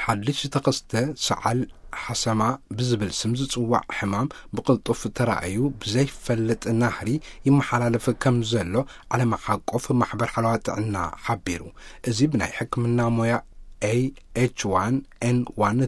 ሓድሽ ዝተኸስተ ሰዓል ሓሰማ ብዝብል ስም ዝጽዋዕ ሕማም ብቕልጡፍ ተራእዩ ብዘይፈልጥ ናህሪ ይመሓላለፍ ከም ዘሎ ዓለም ሓቆፍ ማሕበር ሓለዋ ጥዕና ሓቢሩ። እዚ ብናይ ሕክምና ሞያ ኤ ኤች ዋን ኤን ዋን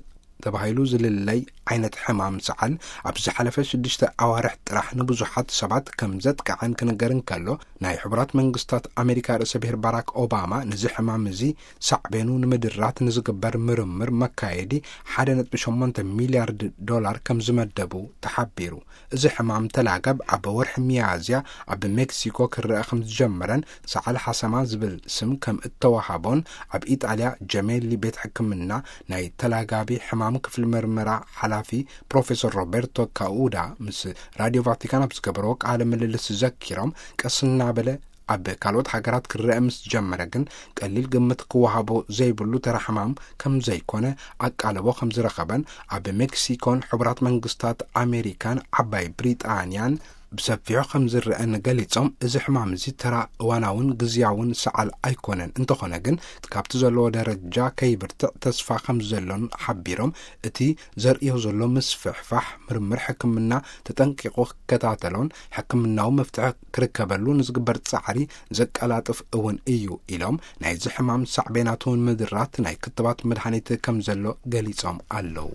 ተባሂሉ ዝልለይ ዓይነት ሕማም ሰዓል ኣብ ዝሓለፈ ሽዱሽተ ኣዋርሕ ጥራሕ ንብዙሓት ሰባት ከም ዘጥቅዐን ክንገር እንከሎ፣ ናይ ሕቡራት መንግስታት ኣሜሪካ ርእሰ ብሔር ባራክ ኦባማ ነዚ ሕማም እዚ ሳዕቤኑ ንምድራት ንዝግበር ምርምር መካየዲ ሓደ ነጥቢ ሸሞንተ ሚልያርድ ዶላር ከም ዝመደቡ ተሓቢሩ። እዚ ሕማም ተላገብ ኣብ ወርሒ ሚያዝያ ኣብ ሜክሲኮ ክረአ ከም ዝጀመረን ሰዓል ሓሰማ ዝብል ስም ከም እተዋሃቦን ኣብ ኢጣልያ ጀሜሊ ቤት ሕክምና ናይ ተላጋቢ ሕማም ክፍሊ ምርመራ ሓላፊ ፕሮፌሰር ሮቤርቶ ካኡዳ ምስ ራድዮ ቫቲካን ኣብ ዝገበርዎ ቃለ ምልልስ ዘኪሮም፣ ቀስ እናበለ ኣብ ካልኦት ሃገራት ክረአ ምስ ጀመረ ግን ቀሊል ግምት ክወሃቦ ዘይብሉ ተራ ሕማም ከም ዘይኮነ ኣቃልቦ ከም ዝረኸበን ኣብ ሜክሲኮን ሕቡራት መንግስታት ኣሜሪካን ዓባይ ብሪጣንያን ብሰፊሑ ከም ዝረአን ገሊጾም፣ እዚ ሕማም እዚ ተራ እዋናውን ግዝያውን ሰዓል ኣይኮነን፣ እንተኾነ ግን ካብቲ ዘለዎ ደረጃ ከይብርትዕ ተስፋ ከም ዘሎን ሓቢሮም፣ እቲ ዘርእዮ ዘሎ ምስፍሕፋሕ ምርምር ሕክምና ተጠንቂቑ ክከታተሎን ሕክምናዊ መፍትሒ ክርከበሉ ንዝግበር ጻዕሪ ዘቀላጥፍ እውን እዩ ኢሎም፣ ናይዚ ሕማም ሳዕቤናት እውን ምድራት ናይ ክትባት መድሃኒት ከም ዘሎ ገሊጾም ኣለዉ።